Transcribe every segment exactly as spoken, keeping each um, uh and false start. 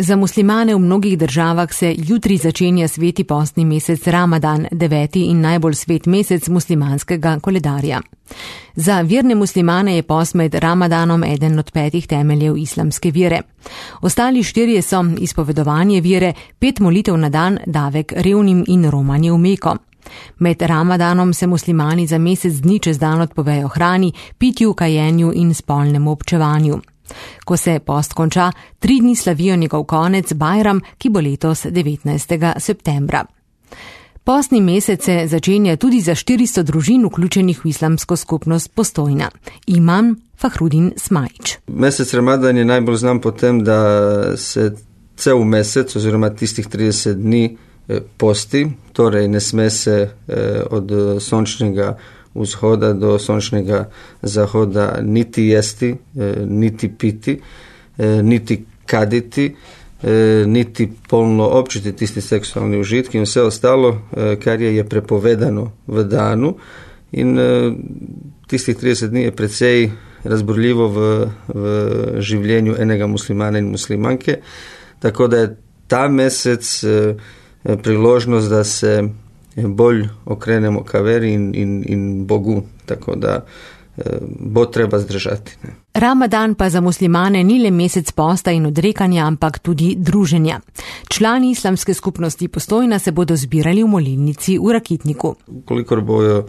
Za muslimane v mnogih državah se jutri začenja sveti postni mesec Ramadan, deveti in najbolj svet mesec muslimanskega koledarja. Za verne muslimane je post med Ramadanom eden od petih temeljev islamske vere. Ostali štirje so izpovedovanje vere, pet molitev na dan, davek revnim in romanje v Meko. Med Ramadanom se muslimani za mesec dni čez dan odpovejo hrani, pitju, kajenju in spolnemu občevanju. Ko se post konča, tri dni slavijo njegov konec Bajram, ki bo letos devetnajstega septembra. Postni mesec se začenja tudi za štiristo družin vključenih v islamsko skupnost Postojna. Imam Fahrudin Smajić. Mesec Ramadan je najbolj znan po tem, da se cel mesec oziroma tistih trideset dni posti, torej ne sme se od sončnega vzhoda do sončnega zahoda niti jesti, niti piti, niti kaditi, niti polno občiti tisti seksualni užitki in vse ostalo, kar je, je prepovedano v danu. In tistih trideset dni je precej razburljivo v, v življenju enega muslimana in muslimanke, tako da je ta mesec priložnost, da se bolj okrenemo ka veri in, in, in Bogu, tako da bo treba zdržati. Ne. Ramadan pa za muslimane ni le mesec posta in odrekanja, ampak tudi druženja. Člani islamske skupnosti Postojna se bodo zbirali v molilnici v Rakitniku. Kolikor bojo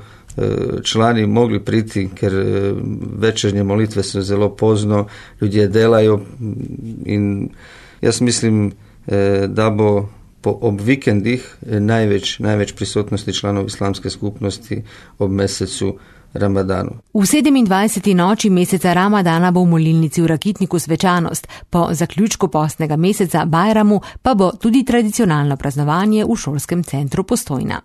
člani mogli priti, ker večernje molitve so zelo pozno, ljudje delajo in jaz mislim, da bo po ob vikendih največ, največ prisotnosti članov islamske skupnosti ob mesecu Ramadanu. V sedemindvajseti noči meseca Ramadana bo v molilnici v Rakitniku svečanost, po zaključku postnega meseca Bajramu pa bo tudi tradicionalno praznovanje v šolskem centru Postojna.